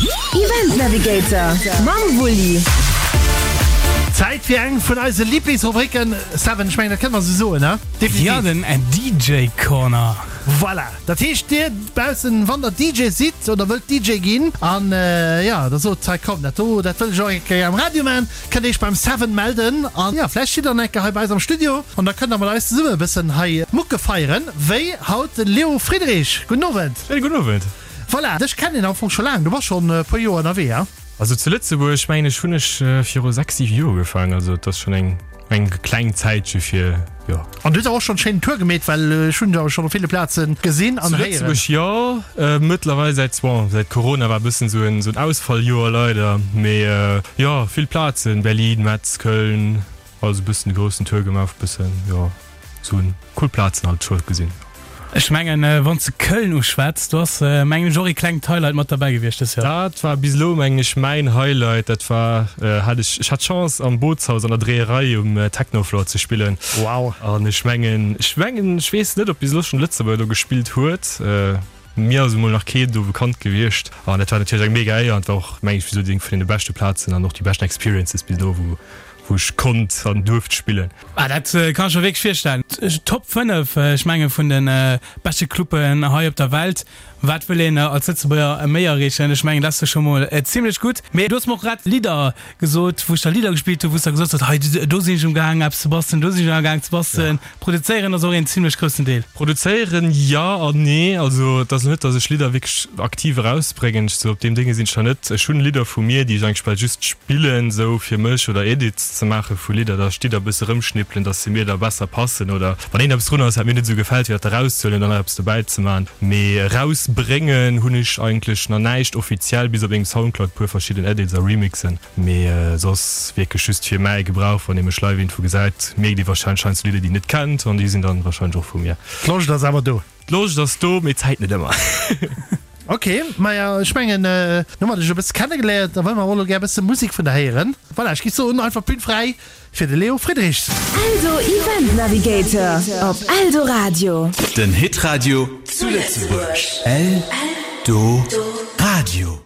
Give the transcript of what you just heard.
Event Navigator mam Wulli. Zäit fir eng vun eise Liblingsrubriken, Seven, ech mengen dat kënne mer esou soen, he? Definitiv. Ja, den DJ Corner. Voilà, dat heescht dir baussen, wann der DJ sidd oder wëllt DJ ginn an jo, da sot hei komm dat do, dat wëll ech och eng Kéier am Radio man, kënnt iech beim Seven melden an jo, vläicht sidd der dann eng Kéier hei bei eis am Studio an da kënnt der mat eis zesumme e bëssen hei Mucke feieren, wéi haut de Leo Friedrich. Gudden Owend. Schéine gudden Owend. Voilà, dech kennen een am Fong scho laang, du bass schonn e puer Joer ënnerwee, he? Also zu Lëtzebuerg mengen ech hunn ech viru 6, 7 Joer ugefaangen, also et ass schonn eng eng kleng Zäitche fir, jo. An du hues awer och schonn schéinen Tour gemeet, well ech hunn dech awer schonn op ville Plaze gesinn an Zu héieren. Lëtzebuerg jo, mëttlerweil säit, bon, säit Corona war e bëssen esou en esou en Ausfalljoer leider, mee jo, vill Plazen, Berlin, Metz, Köln, Also bëssen de groussen Tour gemaach, bëssen jo sou cool Plazen halt scho gesinn. Ech mengen wann s de Köln uschwätz, do ass mengen ech och ee klengt Highlight mat derbäi gewiescht dës Joer. Dat war bis elo mengen ech mäin Highlight. Dat war hat ech ech hat d'Chance am Bootshaus an der Dreeërei um Technofloor ze spillen. Wow. An ech mengen ech mengen ech weess net op bis elo schonn e Lëtzebuerger do gespillt huet. Mir ass emol nach keen do bekannt gewiescht an dat war natierlech eng mega Éier an et war och mengen ech bis elo déi eng vun deene beschte Plazen an och déi beschten Experiences bis elo wou wou ech konnt an duerft spillen. Ah dat kann ech mer wierklech virstellen. Top 5, ech menge vun de beschte Cluben hei op der Welt. Wat wëll een als Lëtzebuerger méi erreechen? Ech mengen dat ass jo scho mol zimlech gutt. Mee du hues mer och grad Lidder gesot, wou ech da Lidder gespillt hunn, wou s de gesot hues, hei do sinn ech umgaang eppes ze bastelen, do sinn ech amgaang ze bastelen. Produzéieren ass och een zimlech groussen Deel. Produzéieren jo an nee. Also et ass lo net, datt ech Lidder wierklech aktiv erausbréngen. Sou op deem Dénge sinn ech nach net. Ech hunn Lidder vu mir, déi ech eigentlech bal just spillen, sou fir mech oder Edits ze maache vu Lidder, datt ech d'Lidder e bësse rëmschnippelen, datt se mir da besser passen oder wann een eppes drun ass, wat mir net esou gefält, fir dat erauszehuelen an dann nach eppes dobäi ze maachen. Mee erausbréngen hunn ech eigentlech nach näischt offiziell, bis op mengem Soundcloud puer verschidden Edits a Remixen. Mee soss wierklech just fir mäi Gebrauch, wann ee mech live iergendwou gesäit, mierkt ee wahrscheinlech heiansdo Lidder déi een net kennt an déi sinn dann wahrscheinlech och vu mir. D'Loscht ass awer do. D'Loscht ass do, mee d'Zäit net ëmmer. Ok, maja ech mengen elo hu mer dech e bësse kennegeléiert, da wëlle mer och elo gär e bësse Musek vun der héieren. Voilà, ech géif soen einfach d'Bün fräi fir de Leo Friedrichs. Eldo Event Navigator op Eldoradio. Den Hitradio zu Lëtzebuerg. Eldoradio.